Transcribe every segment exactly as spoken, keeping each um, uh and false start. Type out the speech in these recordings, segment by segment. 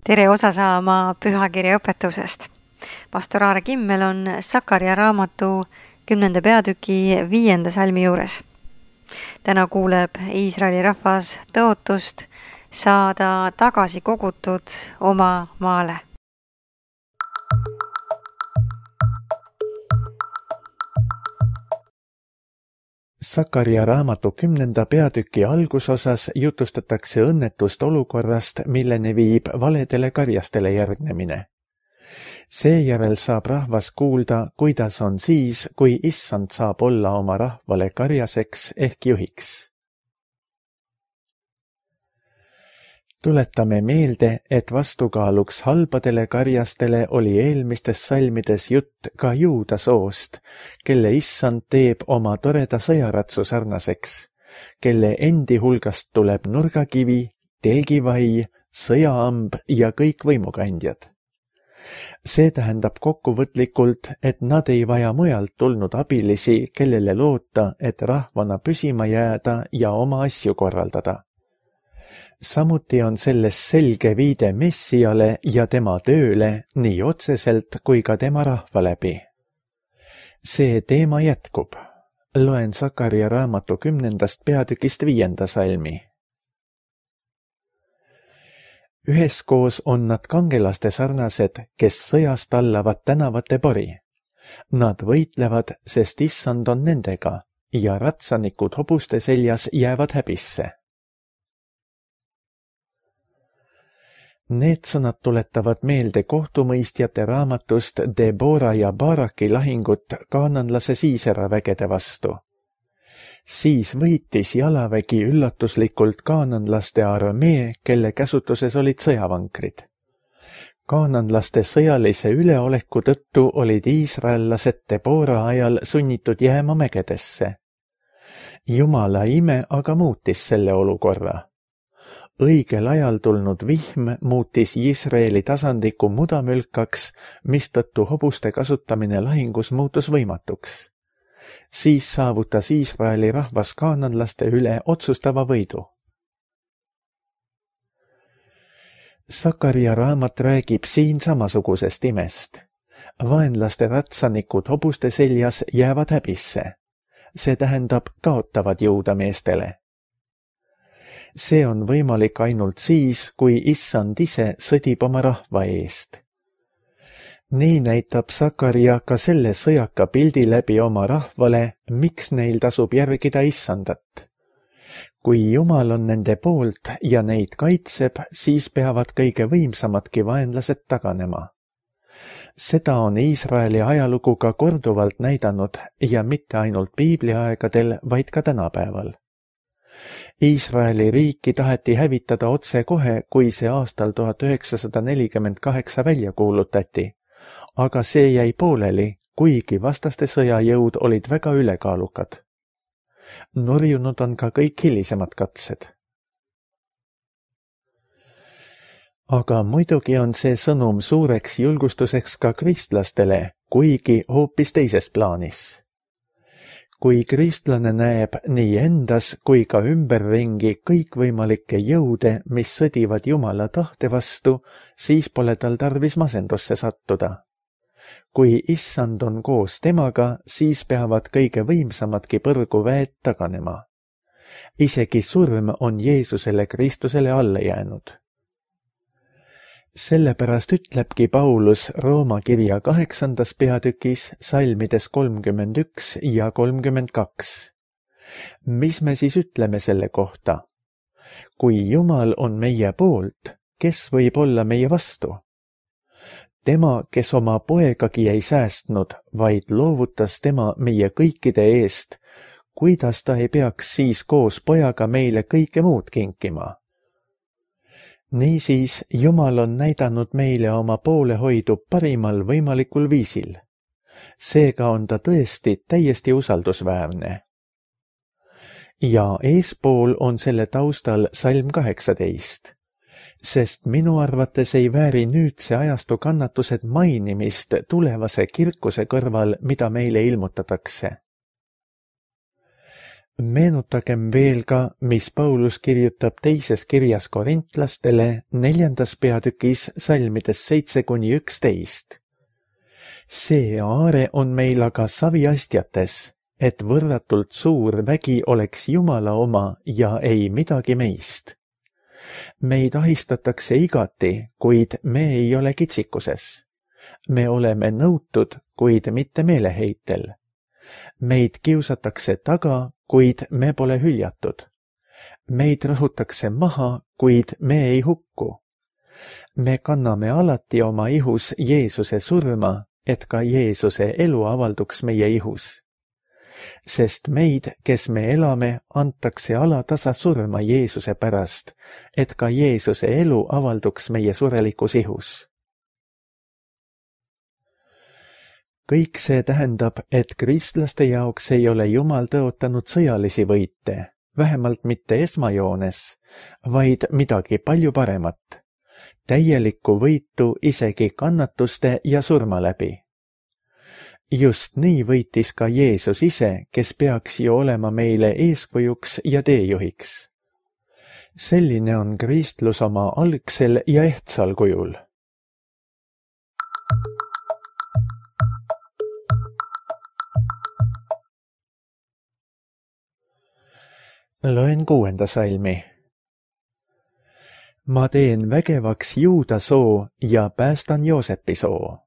Tere osa saama pühakirja õpetusest. Pastor Aare Kimmel on Sakaria raamatu kümnenda peatüki viienda salmi juures. Täna kuuleb Iisraeli rahvas tõotust saada tagasi kogutud oma maale. Sakaria raamatu kümnenda peatüki algusosas jutustatakse õnnetust olukorrast, milleni viib valedele karjastele järgnemine. Seejärel saab rahvas kuulda, kuidas on siis, kui issand saab olla oma rahvale karjaseks ehk juhiks. Tuletame meelde, et vastukaaluks halbadele karjastele oli eelmistes salmides jutt ka juuda soost, kelle issand teeb oma toreda sõjaratsu sarnaseks, kelle endi hulgast tuleb nurgakivi, telgivai, sõjaamb ja kõik võimukandjad. See tähendab kokkuvõtlikult, et nad ei vaja mujalt tulnud abilisi, kellele loota, et rahvana püsima jääda ja oma asju korraldada. Samuti on selles selge viide Messiale ja tema tööle nii otseselt kui ka tema rahva läbi. See teema jätkub. Loen Sakaria raamatu kümnendast peatükist viienda salmi. Üheskoos on nad kangelaste sarnased, kes sõjast tallavad tänavate pori. Nad võitlevad, sest issand on nendega ja ratsanikud hobuste seljas jäävad häbisse. Need sõnad tuletavad meelde kohtumõistjate raamatust Debora ja Baraki lahingut kaananlase Siisera vägede vastu. Siis võitis jalavägi üllatuslikult kaananlaste armee, kelle käsutuses olid sõjavankrid. Kaananlaste sõjalise üleoleku tõttu olid iisraellased Debora ajal sunnitud jääma mägedesse. Jumala ime aga muutis selle olukorra. Õigel ajal tulnud vihm muutis Iisraeli tasandiku mudamülkaks, mistõttu hobuste kasutamine lahingus muutus võimatuks. Siis saavutas Iisraeli rahvas kaananlaste üle otsustava võidu. Sakaria raamat räägib siin samasugusest imest. Vaenlaste ratsanikud hobuste seljas jäävad häbisse. See tähendab kaotavad jõuda meestele. See on võimalik ainult siis, kui issand ise sõdib oma rahva eest. Nii näitab Sakaria ka selle sõjaka pildi läbi oma rahvale, miks neil tasub järgida issandat. Kui Jumal on nende poolt ja neid kaitseb, siis peavad kõige võimsamadki vaenlased taganema. Seda on Iisraeli ajalugu ka korduvalt näidanud ja mitte ainult piibliaegadel, vaid ka tänapäeval. Iisraeli riiki taheti hävitada otse kohe, kui see aastal tuhat üheksasada nelikümmend kaheksa välja kuulutati, aga see jäi pooleli, kuigi vastaste sõjajõud olid väga ülekaalukad. Nurjunud on ka kõik hilisemad katsed. Aga muidugi on see sõnum suureks julgustuseks ka kristlastele, kuigi hoopis teises plaanis. Kui kristlane näeb nii endas kui ka ümberringi kõikvõimalikke jõude, mis sõdivad Jumala tahte vastu, siis pole tal tarvis masendusse sattuda. Kui issand on koos temaga, siis peavad kõige võimsamadki põrguväed taganema. Isegi surm on Jeesusele Kristusele alla jäänud. Sellepärast ütlebki Paulus Rooma kirja kaheksandas peatükis salmides kolmkümmend üks ja kolmkümmend kaks. Mis me siis ütleme selle kohta? Kui Jumal on meie poolt, kes võib olla meie vastu? Tema, kes oma poegagi ei säästnud, vaid loovutas tema meie kõikide eest, kuidas ta ei peaks siis koos pojaga meile kõike muud kinkima? Niisiis, Jumal on näidanud meile oma poolehoidu parimal võimalikul viisil. Seega on ta tõesti täiesti usaldusväärne. Ja eespool on selle taustal salm kaheksateist. Sest minu arvates ei vääri nüüdse ajastu kannatused mainimist tulevase kirkuse kõrval, mida meile ilmutatakse. Meenutagem veel ka, mis Paulus kirjutab teises kirjas korintlastele neljandas peatükis salmides seitse kuni üksteist. See aare on meil aga saviastjates, et võrratult suur vägi oleks Jumala oma ja ei midagi meist. Meid ahistatakse igati, kuid me ei ole kitsikuses. Me oleme nõutud, kuid mitte meeleheitel. Meid kiusatakse taga, kuid me pole hüljatud. Meid rõhutakse maha, kuid me ei hukku. Me kanname alati oma ihus Jeesuse surma, et ka Jeesuse elu avalduks meie ihus. Sest meid, kes me elame, antakse alatasa surma Jeesuse pärast, et ka Jeesuse elu avalduks meie surelikus ihus. Kõik see tähendab, et kristlaste jaoks ei ole Jumal tõotanud sõjalisi võite, vähemalt mitte esmajoones, vaid midagi palju paremat, täielikku võitu isegi kannatuste ja surma läbi. Just nii võitis ka Jeesus ise, kes peaks ju olema meile eeskujuks ja teejuhiks. Selline on kristlus oma algsel ja ehtsal kujul. Loen kuuenda salmi. Ma teen vägevaks Juuda soo ja päästan Joosepi soo.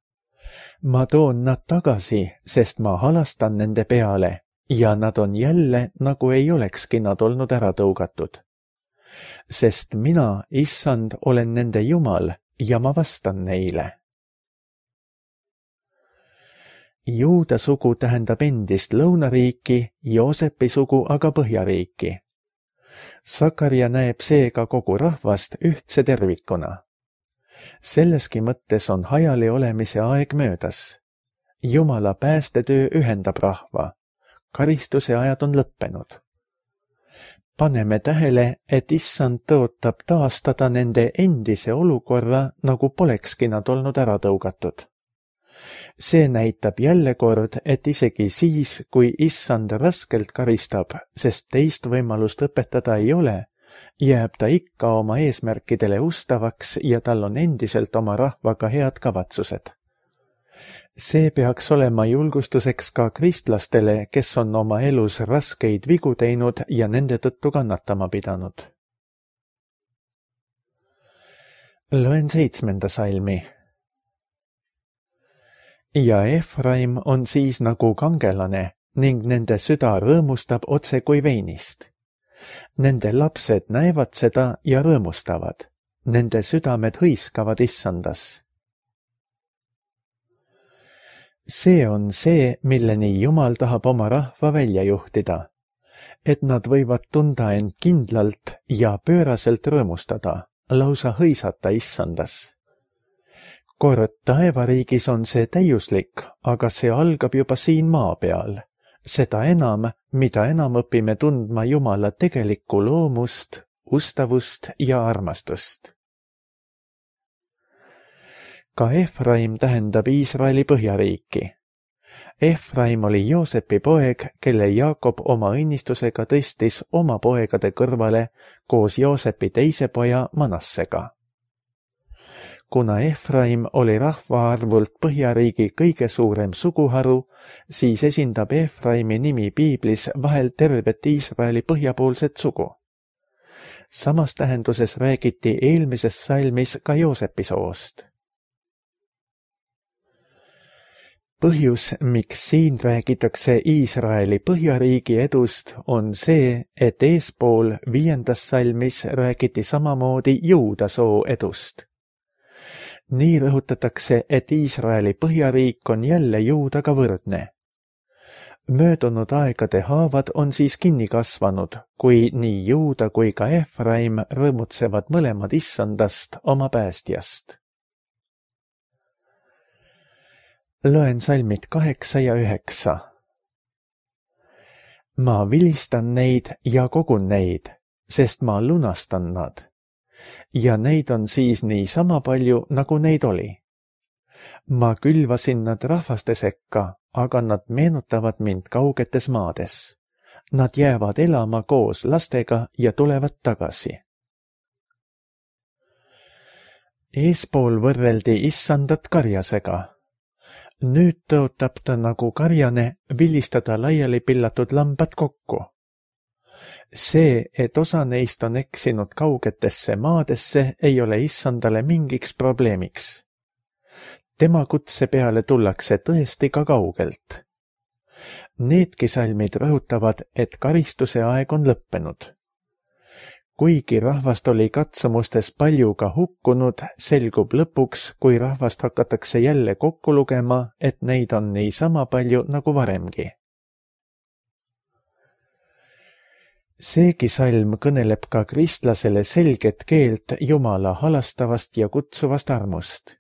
Ma toon nad tagasi, sest ma halastan nende peale ja nad on jälle, nagu ei olekski nad olnud ära tõugatud. Sest mina, issand, olen nende Jumal ja ma vastan neile. Juuda sugu tähendab endist lõunariiki, Joosepi sugu aga põhjariiki. Sakarja näeb seega kogu rahvast ühtse tervikuna. Selleski mõttes on hajali olemise aeg möödas. Jumala päästetöö ühendab rahva. Karistuse ajad on lõppenud. Paneme tähele, et issand tõotab taastada nende endise olukorra, nagu polekski nad olnud ära tõugatud. See näitab jälle kord, et isegi siis, kui issand raskelt karistab, sest teist võimalust õpetada ei ole, jääb ta ikka oma eesmärkidele ustavaks ja tal on endiselt oma rahvaga head kavatsused. See peaks olema julgustuseks ka kristlastele, kes on oma elus raskeid vigu teinud ja nende tõttu kannatama pidanud. Loen seitsmenda salmi. Ja Efraim on siis nagu kangelane ning nende süda rõõmustab otse kui veinist. Nende lapsed näevad seda ja rõõmustavad. Nende südamed hõiskavad issandas. See on see, milleni Jumal tahab oma rahva välja juhtida, et nad võivad tunda end kindlalt ja pööraselt rõõmustada, lausa hõisata issandas. Kord taevariigis on see täiuslik, aga see algab juba siin maa peal. Seda enam, mida enam õpime tundma Jumala tegelikku loomust, ustavust ja armastust. Ka Efraim tähendab Iisraeli põhjariiki. Efraim oli Joosepi poeg, kelle Jaakob oma õnnistusega tõstis oma poegade kõrvale koos Joosepi teise poja Manassega. Kuna Efraim oli rahvaarvult põhjariigi kõige suurem suguharu, siis esindab Efraimi nimi piiblis vahel tervet Iisraeli põhjapoolset sugu. Samas tähenduses räägiti eelmises salmis ka Joosepi soost. Põhjus, miks siin räägitakse Iisraeli põhjariigi edust, on see, et eespool viiendas salmis räägiti samamoodi Juuda soo edust. Nii rõhutatakse, et Iisraeli põhjariik on jälle Juudaga võrdne. Möödunud aegade haavad on siis kinni kasvanud, kui nii Juuda kui ka Efraim rõõmutsevad mõlemad issandast oma päästjast. Loen salmid kaheksa ja üheksa. Ma vilistan neid ja kogun neid, sest ma lunastan nad. Ja neid on siis nii sama palju, nagu neid oli. Ma külvasin nad rahvaste sekka, aga nad meenutavad mind kaugetes maades. Nad jäävad elama koos lastega ja tulevad tagasi. Eespool võrreldi issandat karjasega. Nüüd tõotab ta nagu karjane vilistada laiali pillatud lambad kokku. See, et osa neist on eksinud kaugetesse maadesse, ei ole issandale mingiks probleemiks. Tema kutse peale tullakse tõesti ka kaugelt. Needki salmid rõhutavad, et karistuse aeg on lõppenud. Kuigi rahvast oli katsumustes palju ka hukkunud, selgub lõpuks, kui rahvast hakatakse jälle kokku lugema, et neid on niisama palju nagu varemgi. Seegi salm kõneleb ka kristlasele selget keelt Jumala halastavast ja kutsuvast armust.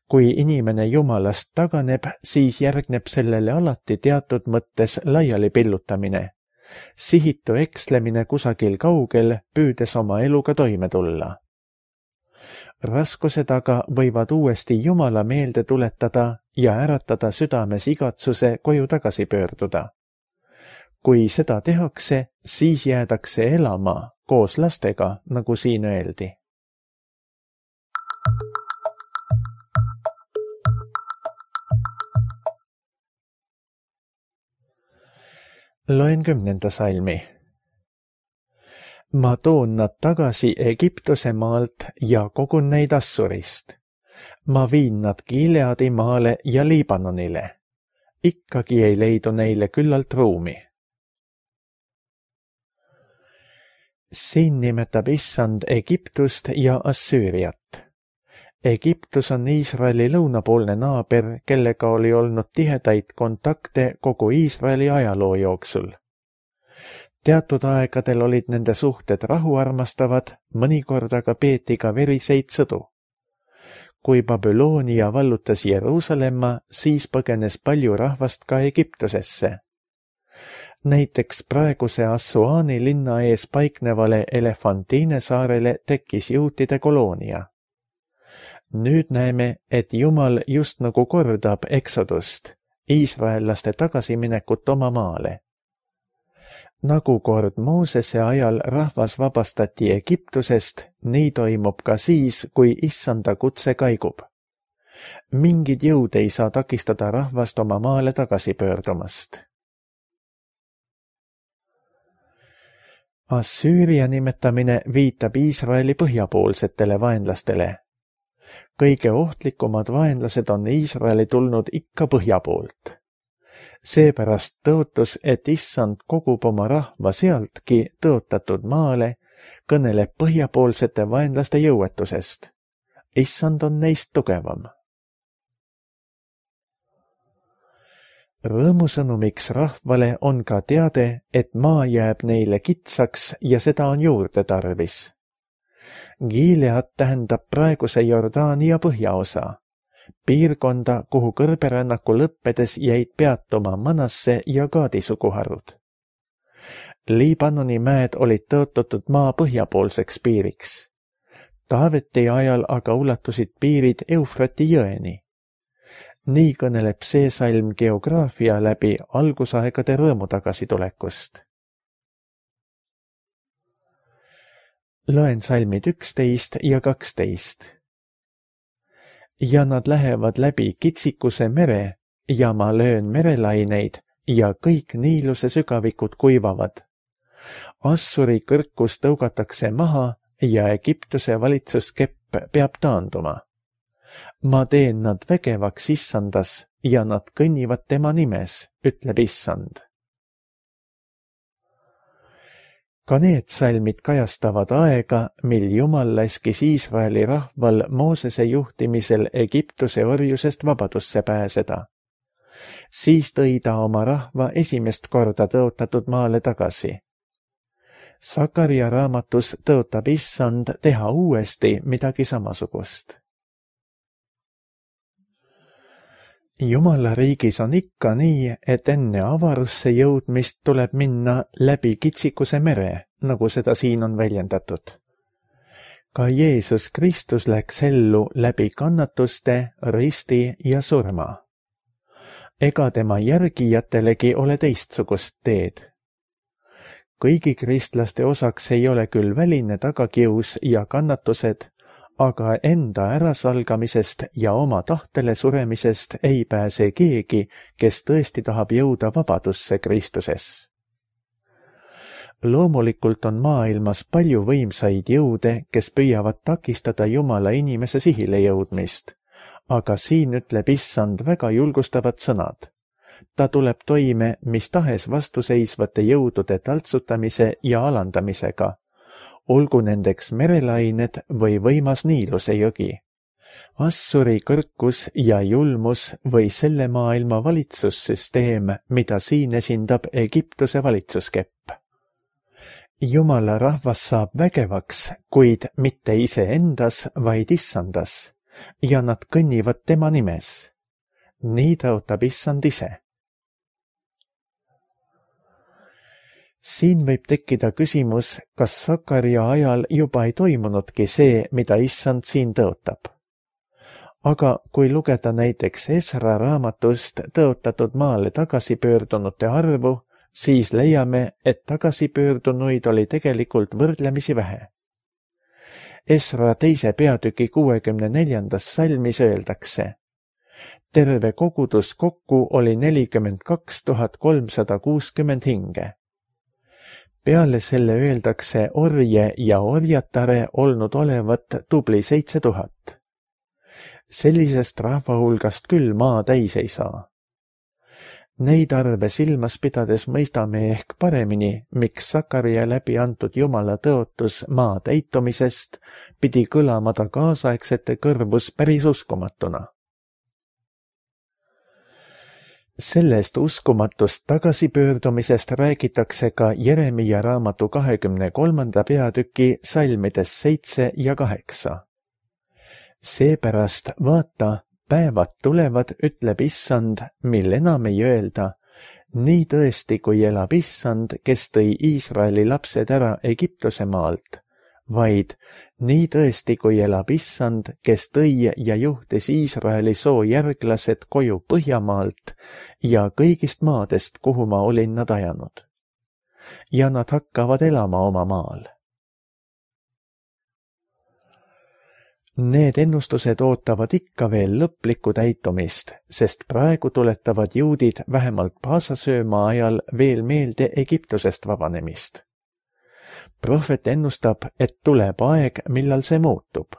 Kui inimene Jumalast taganeb, siis järgneb sellele alati teatud mõttes laiali pillutamine. Sihitu ekslemine kusagil kaugel, püüdes oma eluga toime tulla. Raskused aga võivad uuesti Jumala meelde tuletada ja äratada südames igatsuse koju tagasi pöörduda. Kui seda tehakse, siis jäädakse elama koos lastega, nagu siin öeldi. Loen kümnenda salmi. Ma toon nad tagasi Egiptuse maalt ja kogun neid Assurist. Ma viin nad Gileadi maale ja Liibanonile. Ikkagi ei leidu neile küllalt ruumi. Siin nimetab issand Egiptust ja Assüüriat. Egiptus on Iisraeli lõunapoolne naaber, kellega oli olnud tihedaid kontakte kogu Iisraeli ajaloo jooksul. Teatud aegadel olid nende suhted rahuarmastavad, mõnikord aga peeti ka veriseid sõdu. Kui Babyloonia vallutas Jeruusalemma, siis põgenes palju rahvast ka Egiptusesse. Näiteks praeguse Assuaani linna ees paiknevale Elefantine saarele tekkis juutide koloonia. Nüüd näeme, et Jumal just nagu kordab eksodust, iisraellaste tagasiminekut oma maale. Nagu kord Moosese ajal rahvas vabastati Egiptusest, nii toimub ka siis, kui issanda kutse kaigub. Mingid jõud ei saa takistada rahvast oma maale tagasi pöördumast. Assüüria nimetamine viitab Iisraeli põhjapoolsetele vaenlastele. Kõige ohtlikumad vaenlased on Iisraeli tulnud ikka põhja poolt. Seepärast tõotus, et issand kogub oma rahva sealtki tõotatud maale, kõneleb põhjapoolsete vaenlaste jõuetusest. Issand on neist tugevam. Rõõmusõnumiks rahvale on ka teade, et maa jääb neile kitsaks ja seda on juurde tarvis. Gilead tähendab praeguse Jordaania põhjaosa, piirkonda, kuhu kõrberännaku lõppedes jäid peatuma Manasse ja Gaadi suguharud. Liibanoni mäed olid tõotatud maa põhjapoolseks piiriks. Taaveti ajal aga ulatusid piirid Eufrati jõeni. Nii kõneleb see salm geograafia läbi algusaegade rõõmu tagasitulekust. Loen salmid üksteist ja kaksteist. Ja nad lähevad läbi Kitsikuse mere ja ma löön merelaineid ja kõik Niiluse sügavikud kuivavad. Assuri kõrkus tõugatakse maha ja Egiptuse valitsuskepp peab taanduma. Ma teen nad vägevaks issandas ja nad kõnnivad tema nimes, ütleb issand. Ka need salmid kajastavad aega, mil Jumal laskis Iisraeli rahval Moosese juhtimisel Egiptuse orjusest vabadusse pääseda. Siis tõi ta oma rahva esimest korda tõotatud maale tagasi. Sakaria raamatus tõotab issand teha uuesti midagi samasugust. Jumala riigis on ikka nii, et enne avarusse jõudmist tuleb minna läbi Kitsikuse mere, nagu seda siin on väljendatud. Ka Jeesus Kristus läks ellu läbi kannatuste, risti ja surma. Ega tema järgijatelegi ole teistsugust teed. Kõigi kristlaste osaks ei ole küll väline tagakius ja kannatused, aga enda ärasalgamisest ja oma tahtele suremisest ei pääse keegi, kes tõesti tahab jõuda vabadusse Kristuses. Loomulikult on maailmas palju võimsaid jõude, kes püüavad takistada Jumala inimese sihile jõudmist, aga siin ütleb Issand väga julgustavad sõnad. Ta tuleb toime mis tahes vastuseisvate jõudude taltsutamise ja alandamisega, olgu nendeks merelained või võimas Niiluse jõgi, Assuri kõrkus ja julmus või selle maailma valitsussüsteem, mida siin esindab Egiptuse valitsuskepp. Jumala rahvas saab vägevaks, kuid mitte iseendas, vaid Issandas, ja nad kõnnivad tema nimes. Nii tõotab Issand ise. Siin võib tekkida küsimus, kas Sakaria ajal juba ei toimunudki see, mida Issand siin tõotab. Aga kui lugeda näiteks Esra raamatust tõotatud maale tagasipöördunute arvu, siis leiame, et tagasipöördunuid oli tegelikult võrdlemisi vähe. Esra teise peatüki kuuekümne neljandas salmis öeldakse: terve kogudus kokku oli nelikümmend kaks tuhat kolmsada kuuskümmend hinge. Peale selle öeldakse orje ja orjatare olnud olevat tubli seitse tuhat. Sellisest rahva hulgast küll maa täis ei saa. Neid arve silmas pidades mõistame ehk paremini, miks Sakaria läbi antud Jumala tõotus maa täitumisest pidi kõlama ta kaasaegsete kõrvus päris uskumatuna. Sellest uskumatust tagasipöördumisest räägitakse ka Jeremia raamatu kahekümne kolmanda peatüki salmides seitse ja kaheksa. Seepärast vaata, päevad tulevad, ütleb Issand, mil enam ei öelda, nii tõesti, kui elab Issand, kes tõi Iisraeli lapsed ära Egiptuse maalt, vaid nii tõesti, kui elab Issand, kes tõi ja juhtis Iisraeli soo järglased koju Põhjamaalt ja kõigist maadest, kuhu ma olin nad ajanud. Ja nad hakkavad elama oma maal. Need ennustused ootavad ikka veel lõplikku täitumist, sest praegu tuletavad juudid vähemalt Paasasöömaa ajal veel meelde Egiptusest vabanemist. Prohvet ennustab, et tuleb aeg, millal see muutub.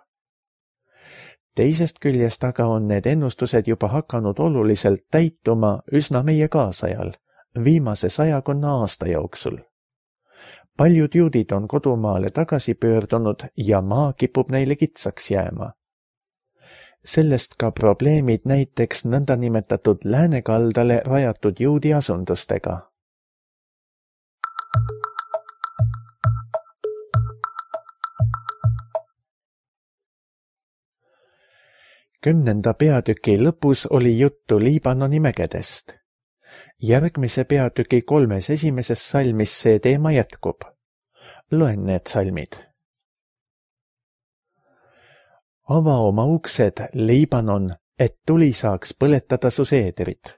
Teisest küljest aga on need ennustused juba hakanud oluliselt täituma üsna meie kaasajal, viimase sajakonna aasta jooksul. Paljud juudid on kodumaale tagasi pöördunud ja maa kipub neile kitsaks jääma. Sellest ka probleemid näiteks nõndanimetatud läänekaldale rajatud juudi asundustega. Kümnenda peatüki lõpus oli juttu Liibanoni mägedest. Järgmise peatüki kolmes esimeses salmis see teema jätkub. Loen need salmid. Ava oma uksed, Liibanon, et tuli saaks põletada su seederit.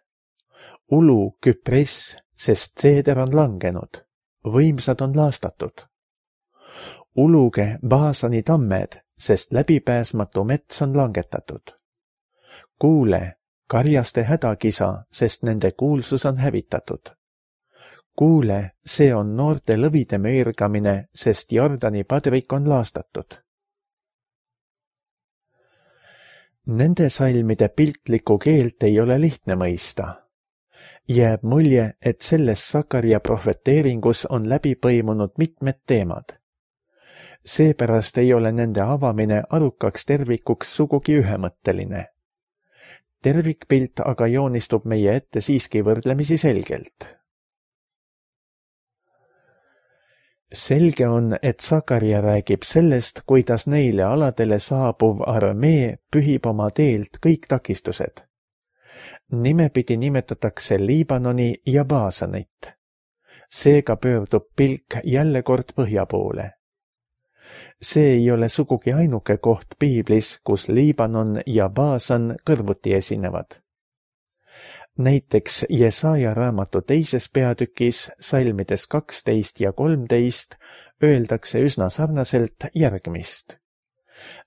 Ulu, Küpress, sest seeder on langenud, võimsad on laastatud. Uluge, Baasani tammed, sest läbipääsmatu mets on langetatud. Kuule, karjaste hädakisa, sest nende kuulsus on hävitatud. Kuule, see on noorte lõvide möirgamine, sest Jordani padrik on laastatud. Nende salmide piltlikku keelt ei ole lihtne mõista. Jääb mulje, et selles Sakaria prohveteeringus on läbi põimunud mitmed teemad. Seepärast ei ole nende avamine arukaks tervikuks sugugi ühemõtteline. Tervikpilt aga joonistub meie ette siiski võrdlemisi selgelt. Selge on, et Sakaria räägib sellest, kuidas neile aladele saabuv armee pühib oma teelt kõik takistused. Nimepidi nimetatakse Liibanoni ja Baasanit. Seega pöördub pilk jälle kord põhja poole. See ei ole sugugi ainuke koht piiblis, kus Liibanon ja Baasan kõrvuti esinevad. Näiteks Jesaja raamatu teises peatükis salmides kaksteist ja kolmteist öeldakse üsna sarnaselt järgmist.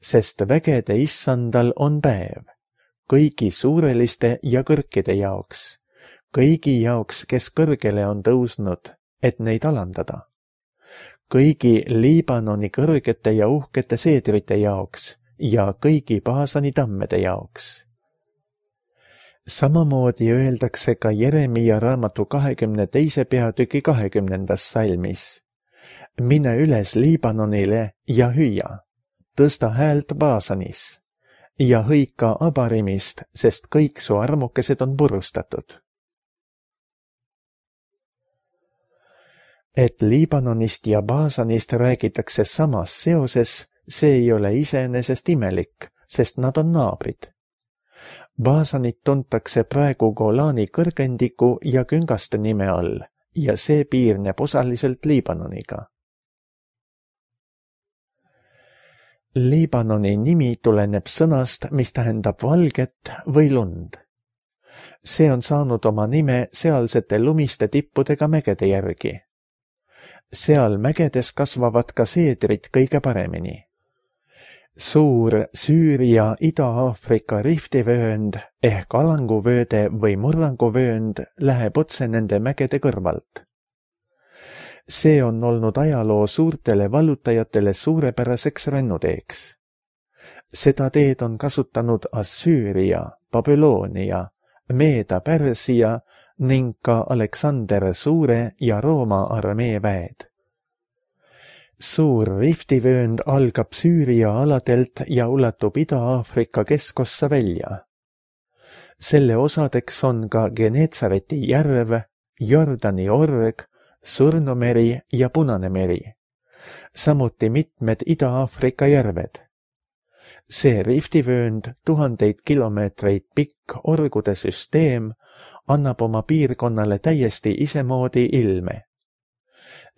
Sest vägede issandal on päev, kõigi suureliste ja kõrkide jaoks, kõigi jaoks, kes kõrgele on tõusnud, et neid alandada. Kõigi Liibanoni kõrgete ja uhkete seedrite jaoks ja kõigi Baasani tammede jaoks. Samamoodi öeldakse ka Jeremia raamatu kahekümne teise peatüki kahekümnendas salmis. Mine üles Liibanonile ja hüüa, tõsta häält Baasanis ja hõika Abarimist, sest kõik su armukesed on purustatud. Et Liibanonist ja Baasanist räägitakse samas seoses, see ei ole iseenesest imelik, sest nad on naabrid. Baasanit tuntakse praegu Golani kõrgendiku ja küngaste nime all ja see piirneb osaliselt Liibanoniga. Liibanoni nimi tuleneb sõnast, mis tähendab valget või lund. See on saanud oma nime sealsete lumiste tippudega mägede järgi. Seal mägedes kasvavad ka seedrid kõige paremini. Suur Süüria Ida-Aafrika riftivöönd ehk alanguvööde või murranguvöönd läheb otse nende mägede kõrvalt. See on olnud ajaloo suurtele vallutajatele suurepäraseks rännuteeks. Seda teed on kasutanud Assüüria, Babyloonia, Meeda-Pärsia ning ka Aleksander Suure ja Rooma armee väed. Suur riftivöönd algab Süüria aladelt ja ulatub Ida-Aafrika keskossa välja. Selle osadeks on ka Geneetsareti järv, Jordani org, Surnumeri ja Punane meri, samuti mitmed Ida-Aafrika järved. See riftivöönd, tuhandeid kilomeetreid pikk orgude süsteem, annab oma piirkonnale täiesti isemoodi ilme.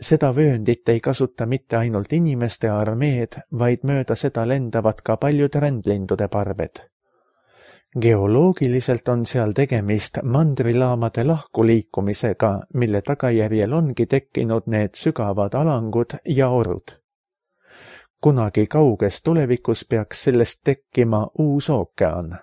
Seda vööndit ei kasuta mitte ainult inimeste armeed, vaid mööda seda lendavad ka paljud rändlindude parved. Geoloogiliselt on seal tegemist mandrilaamade lahkuliikumisega, mille tagajärjel ongi tekkinud need sügavad alangud ja orud. Kunagi kauges tulevikus peaks sellest tekkima uus ookean.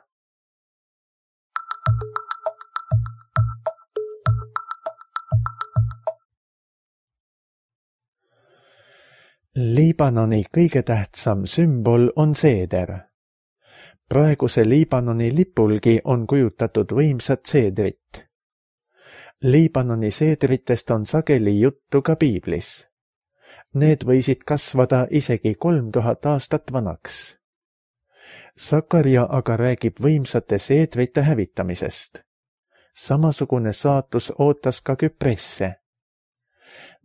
Liibanoni kõige tähtsam sümbol on seeder. Praeguse Liibanoni lipulgi on kujutatud võimsat seedrit. Liibanoni seedritest on sageli juttu ka piiblis. Need võisid kasvada isegi kolm tuhat aastat vanaks. Sakarja aga räägib võimsate seedrite hävitamisest. Samasugune saatus ootas ka Küpresse.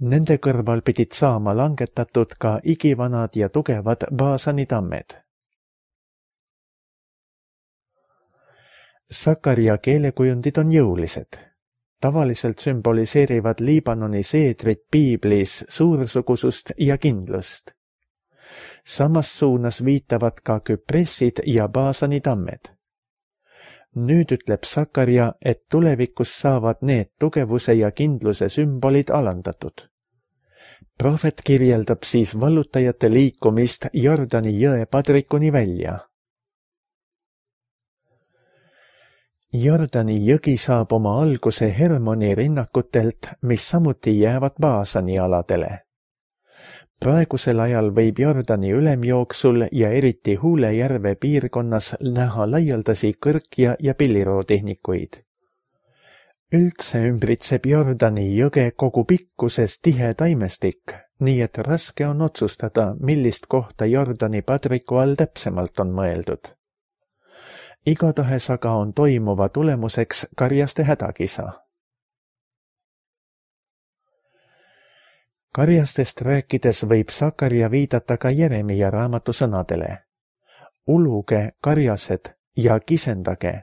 Nende kõrval pidid saama langetatud ka igivanad ja tugevad Baasani tammed. Sakarja keelekujundid on jõulised. Tavaliselt sümboliseerivad Liibanoni seedrid piiblis suursugusust ja kindlust. Samas suunas viitavad ka Küpressid ja Baasani tammed. Nüüd ütleb Sakarja, et tulevikus saavad need tugevuse ja kindluse sümbolid alandatud. Prohvet kirjeldab siis vallutajate liikumist Jordani jõe padrikuni välja. Jordani jõgi saab oma alguse Hermoni rinnakutelt, mis samuti jäävad Baasani aladele. Praegusel ajal võib Jordani ülemjooksul ja eriti Huule järve piirkonnas näha laialdasi kõrkja ja pillirootehnikuid. Üldse ümbritseb Jordani jõge kogu pikkuses tihe taimestik, nii et raske on otsustada, millist kohta Jordani padriku all täpsemalt on mõeldud. Igatahes aga on toimuva tulemuseks karjaste hädakisa. Karjastest rääkides võib Sakarja viidata ka Jeremia raamatu sõnadele. Uluge, karjased, ja kisendage.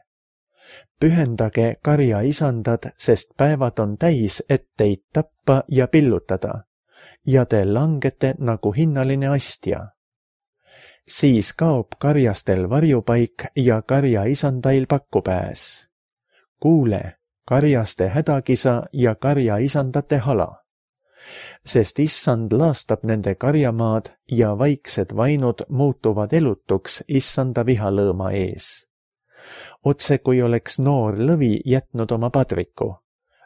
Pühendage, karja isandad, sest päevad on täis, et teid tappa ja pillutada, ja te langete nagu hinnaline astja. Siis kaob karjastel varjupaik ja karja isandail pakkupääs. Kuule, karjaste hädakisa ja karjaisandate hala, sest issand laastab nende karjamaad ja vaiksed vainud muutuvad elutuks issanda vihalõõma ees. Otse kui oleks noor lõvi jätnud oma padriku,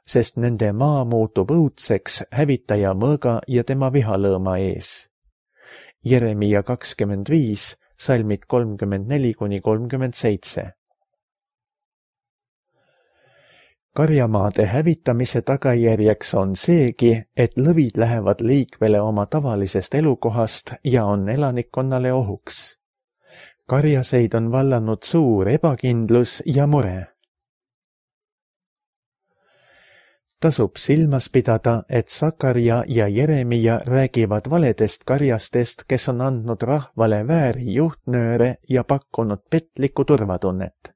sest nende maa muutub õudseks hävitaja mõõga ja tema vihalõõma ees. Jeremia kakskümmend viis, salmid kolmkümmend neli kuni kolmkümmend seitse. Karjamaade hävitamise tagajärjeks on seegi, et lõvid lähevad liikvele oma tavalisest elukohast ja on elanikkonnale ohuks. Karjaseid on vallanud suur ebakindlus ja mure. Tasub silmas pidada, et Sakarja ja Jeremia räägivad valedest karjastest, kes on andnud rahvale vääri juhtnööre ja pakkunud petlikku turvatunnet.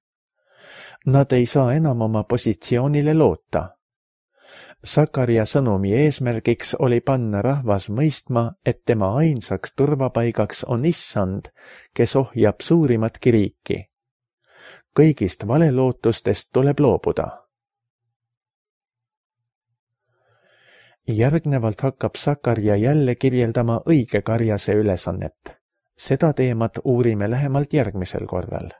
Nad ei saa enam oma positsioonile loota. Sakarja sõnumi eesmärgiks oli panna rahvas mõistma, et tema ainsaks turvapaigaks on issand, kes ohjab suurimatki riiki. Kõigist valelootustest tuleb loobuda. Järgnevalt hakkab Sakarja jälle kirjeldama õige karjase ülesannet. Seda teemat uurime lähemalt järgmisel korral.